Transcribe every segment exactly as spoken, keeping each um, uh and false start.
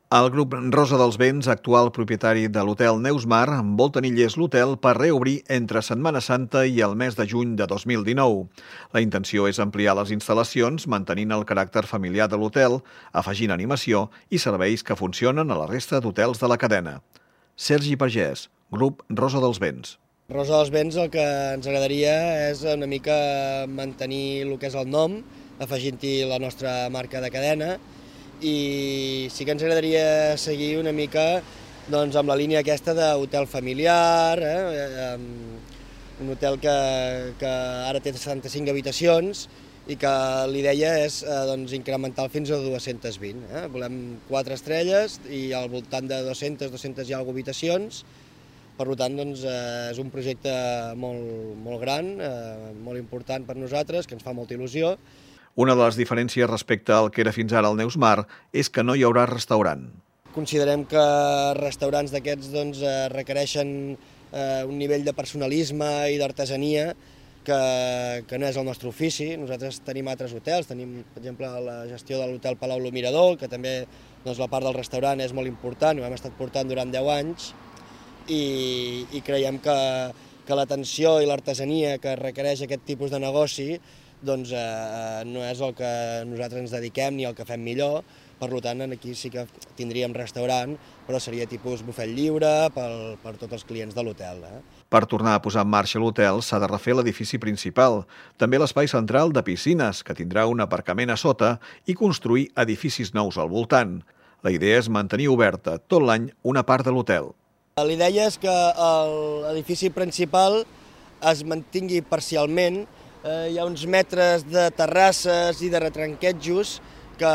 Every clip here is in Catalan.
El grup Rosa dels Vents, actual propietari de l'hotel Neusmar, vol tenir llest l'hotel per reobrir entre Setmana Santa i el mes de juny de dos mil dinou. La intenció és ampliar les instal·lacions, mantenint el caràcter familiar de l'hotel, afegint animació i serveis que funcionen a la resta d'hotels de la cadena. Sergi Pagès, grup Rosa dels Vents. Rosa dels Vents el que ens agradaria és una mica mantenir el que és el nom, afegint-hi la nostra marca de cadena, i sí que ens agradaria seguir una mica doncs, amb la línia aquesta d'hotel familiar, eh? Un hotel que, que ara té setanta-cinc habitacions i que l'idea és eh, doncs, incrementar fins a dues-centes vint. Eh? Volem quatre estrelles i al voltant de dues-centes, dues-centes i alguna habitacions. Per tant, doncs, eh, és un projecte molt, molt gran, eh, molt important per nosaltres, que ens fa molta il·lusió. Una de les diferències respecte al que era fins ara el Neusmar és que no hi haurà restaurant. Considerem que restaurants d'aquests doncs, requereixen eh, un nivell de personalisme i d'artesania que, que no és el nostre ofici. Nosaltres tenim altres hotels, tenim, per exemple, la gestió de l'hotel Palau Lo Mirador, que també doncs, la part del restaurant és molt important, ho hem estat portant durant deu anys, i, i creiem que, que l'atenció i l'artesania que requereix aquest tipus de negoci doncs eh, no és el que nosaltres ens dediquem ni el que fem millor. Per tant, aquí sí que tindríem restaurant, però seria tipus bufet lliure per, per tots els clients de l'hotel. Eh? Per tornar a posar en marxa l'hotel s'ha de refer l'edifici principal, també l'espai central de piscines, que tindrà un aparcament a sota, i construir edificis nous al voltant. La idea és mantenir oberta tot l'any una part de l'hotel. L'idea és que l'edifici principal es mantingui parcialment. Eh, hi ha uns metres de terrasses i de retranquetjos que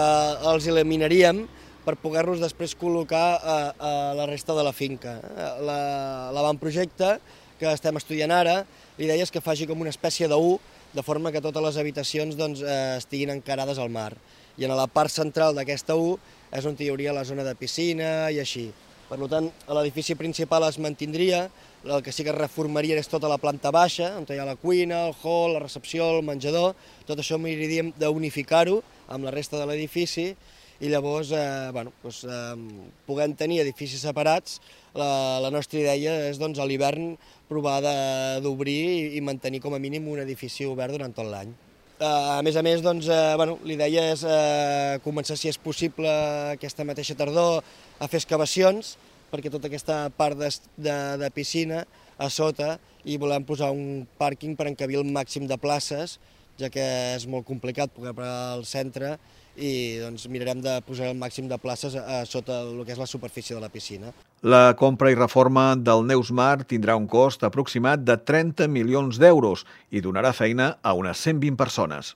els eliminaríem per poder-los després col·locar a, a la resta de la finca. L'avantprojecte que estem estudiant ara, l'idea és que faci com una espècie de U, de forma que totes les habitacions doncs, eh, estiguin encarades al mar. I en la part central d'aquesta U és on hi hauria la zona de piscina i així. Per tant, l'edifici principal es mantindria, el que sí que es reformaria és tota la planta baixa, on hi ha la cuina, el hall, la recepció, el menjador. Tot això miraríem d'unificar-ho amb la resta de l'edifici i llavors eh, bueno, doncs, eh, puguem tenir edificis separats. La, la nostra idea és doncs, a l'hivern provar d'obrir i, i mantenir com a mínim un edifici obert durant tot l'any. Eh, a més a més, doncs, eh, bueno, l'idea és eh, començar, si és possible, aquesta mateixa tardor a fer excavacions, perquè tota aquesta part de, de, de piscina a sota i volem posar un pàrquing per encabir el màxim de places, ja que és molt complicat poder parar al centre i doncs, mirarem de posar el màxim de places a, a sota el que és la superfície de la piscina. La compra i reforma del Neusmar tindrà un cost aproximat de trenta milions d'euros i donarà feina a unes cent vint persones.